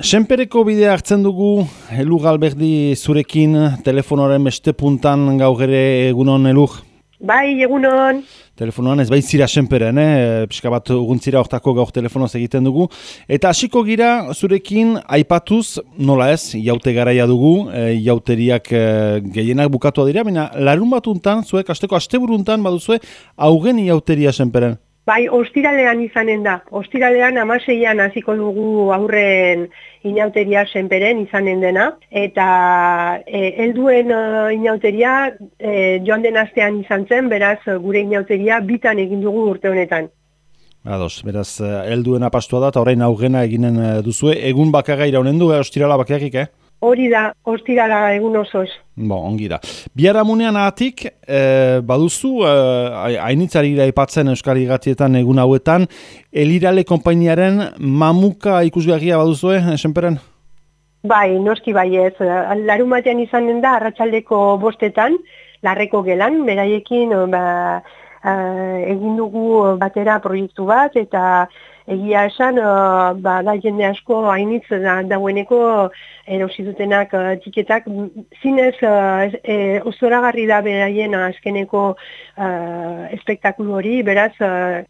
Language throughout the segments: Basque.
Senpereko bidea hartzen dugu, Elur Galberdi zurekin, telefonoaren beste puntan gaur ere egunon, Elur? Bai, egunon. Telefonoan ez baitzira Senperen, pixka bat urguntzira hortako gaur telefonoz egiten dugu. Eta hasiko gira zurekin aipatuz, nola ez, jaute garaia dugu, jauteriak gehienak bukatu dira, baina larun batuntan, zuek asteko asteburuntan baduzue, haugen jauteria Senperen. Bai, ostiralean izanen da. Ostiralean 16an hasiko dugu aurren inauteria Senperen izanen dena. Eta helduen inauteria joan den astean izan zen, beraz gure inauteria bitan egin dugu urte honetan. Ados, beraz helduen apastua da, eta orain aurrena eginen duzue. Egun bakarra iraunen du, ostirala bakarrik, Hori da, ostirala egun osoz. Ongi da. Biharamunean ahatik, baduzu, hainitzari aipatzen Euskal Irratietan egun hauetan, Elirale konpainiaren mamuka ikusgarria baduzue, Senperen? Bai, noski bai ez. Larun batean izanen da, arratsaldeko 5etan, Larreko Gelan, beraiekin egin dugu batera proiektu bat, eta egia esan, da jende asko hainitz dagoeneko erosi dutenak tiketak, zinez zoragarri da beraien azkeneko espektakulu hori, beraz,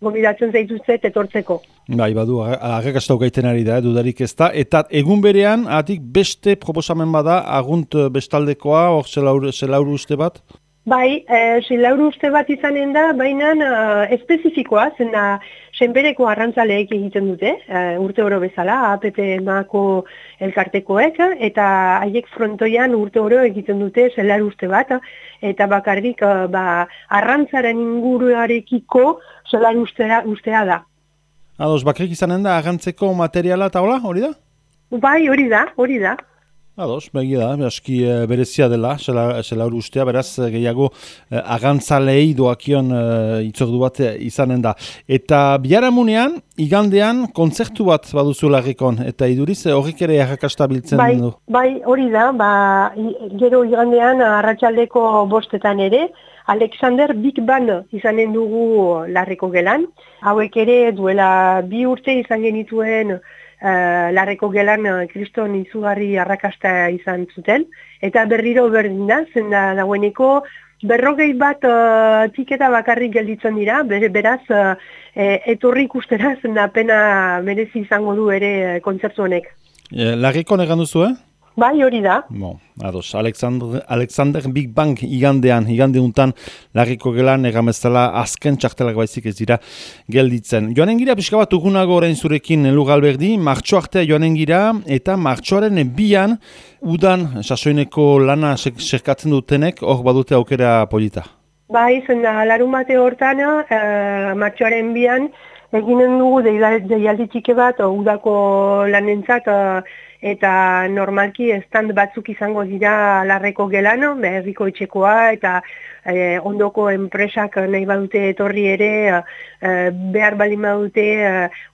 gobidatzen zaituzet etortzeko. Bai, badu, arrakastau gaiten ari da, dudarik ez da, eta egun berean, atik beste proposamen bada, agunt bestaldekoa, hor zelauru uste bat? Bai, zelauru uste bat izanen da, baina espezifikoa, zena Senpereko arrantzaleek egiten dute, urte oro bezala, APP-mako elkartekoek, eta haiek frontoian urte oro egiten dute zelauru uste bat, eta bakarrik arrantzaren inguruarekiko zelauru ustea da. Ados, bakarrik izanen da, arrantzeko materiala eta hola, hori da? Bai, hori da. Ados, begia da, aski berezia dela, zelauru ustea, beraz gehiago agantzalei doakion itzordu bat izanen da. Eta biharamunean, igandean, kontzertu bat baduzu Larrikon, eta iduriz horrik ere arrakastabiltzen du. Bai, hori da, gero igandean arratsaldeko 5etan ere, Alexander Big Band izanen dugu Larriko Gelan. Hauek ere duela 2 urte izan genituen Larreko Gelan kriston izugarri arrakasta izan zuten, eta berriro berdin da, zen dagoeneko 40 bat tiketa bakarrik gelditzen dira, beraz etorri ikustera zen pena merezi izango du ere kontzertu honek. Larrikon egan duzu, Bai, hori da. Ados, Alexander Big Bang igande untan Larriko Gelan egameztela azken txartelak baizik ez dira gelditzen. Joanen gira pixka bat ugunago orain zurekin Elur Galberdi, martxo artea joanen gira, eta martxoaren 2an udan sasoineko lana serkatzen dutenek, hor badute aukera polita. Bai, zen larun bate hortan, martxoaren 2an, eginen dugu deialdi txike bat udako lanentzat, eta normalki stand batzuk izango dira Larreko Gelan, herriko etxekoa, eta ondoko enpresak nahi badute etorri ere, behar baldin badute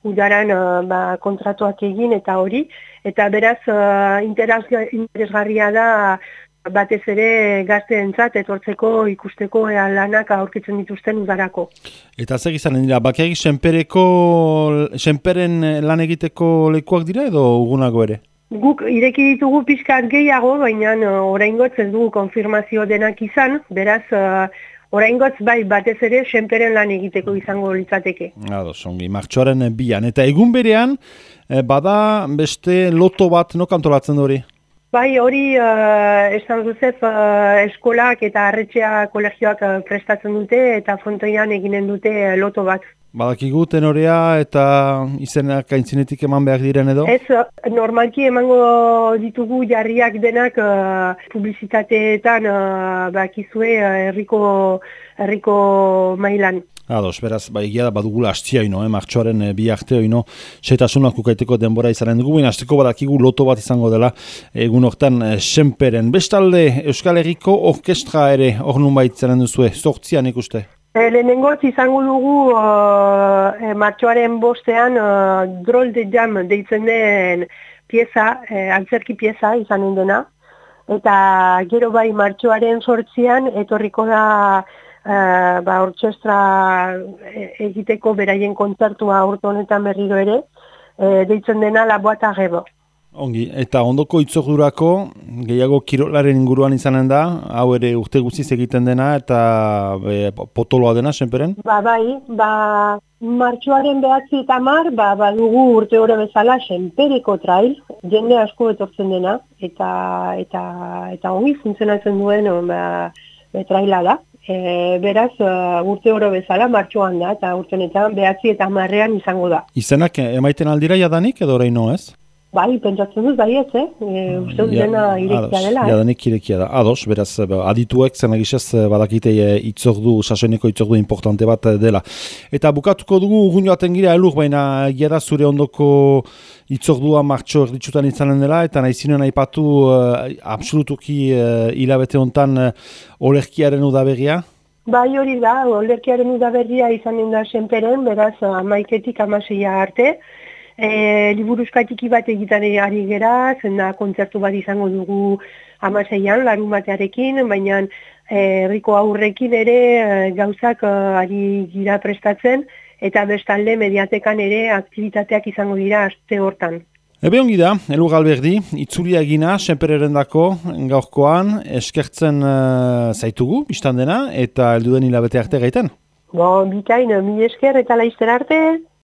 udaran kontratuak egin eta hori. Eta beraz, interesgarria da, batez ere gazteentzat etortzeko ikusteko lanak aurkitzen dituzten udarako. Eta zer izanen dira, bakarrik Senperen lan egiteko lekuak dira edo ugunago ere? Guk ireki ditugu pixkat gehiago, baina oraingotz ez dugu konfirmazio denak izan, beraz oraingotz bai batez ere Senperen lan egiteko izango litzateke. Ados, ongi, martxoaren 2an. Eta egun berean, bada beste loto bat antolatzen hori? Bai, hori esan duzez eskolak eta arretxea kolegioak prestatzen dute eta frontoian eginen dute loto bat. Badakigu tenorea eta izenak aintzinetik eman behar diren edo? Ez, normalki emango ditugu jarriak denak publizitateetan bakizue herriko mailan. Ados, beraz, egia da badugula hastia martxoaren 2 arte setasunak ukaiteko denbora izanen dugu, baina hasteko badakigu loto bat izango dela egun hortan Senperen. Bestalde, Euskal Herriko orkestra ere hor nunbait izanen duzue, 8an ikuste? Lehenengoz izango dugu martxoaren 5ean Drôle de Jam deitzen den pieza, antzerki pieza izanen dena, eta gero bai martxoaren 8an etorriko da orkestra egiteko beraien kontzertua urte honetan berriro ere, deitzen dena La Boîte à Rêves. Ongi, eta ondoko itzordurako gehiago kirolaren inguruan izanen da, hau ere urte guztiz egiten dena eta potoloa dena, senperen? Bai, martxoaren 9 eta 10, badugu urte oro bezala senpereko trail, jende asko etortzen dena, eta ongi funtzionatzen duen traila da. Beraz, urte oro bezala martxoan da, eta urtenetan 9 eta 10 izango da. Izenak emaiten aldira jadanik edo oraino ez? Bai, pentsatzen dut, bai ez, uste dut dena irekia dela. Jadanik irekia da. Ados, beraz, adituek zenagizez badakite sasoineko itzordu importante bat dela. Eta bukatuko dugu urgun joaten gira elur, baina gira zure ondoko itzordua martxo erditsutan izanen dela, eta nahizinen aipatu absolutuki hilabete hontan olerkiaren udaberria? Bai, hori da, olerkiaren udaberria izanen da senperen, beraz, 11-tik 16 arte. Liburuskatiki bat egiten ari gera, zena kontzertu bat izango dugu 16an, larun batearekin, baina herriko aurrekin ere gauzak ari gira prestatzen, eta bestalde mediatekan ere aktibitateak izango dira aste hortan. Ebe ongi da, Elur Galberdi, itzulia egina, senpererendako gaurkoan, eskertzen zaitugu, biztan dena, eta helduden hilabete arte gaiten. Bikain, mi esker eta laizter arte.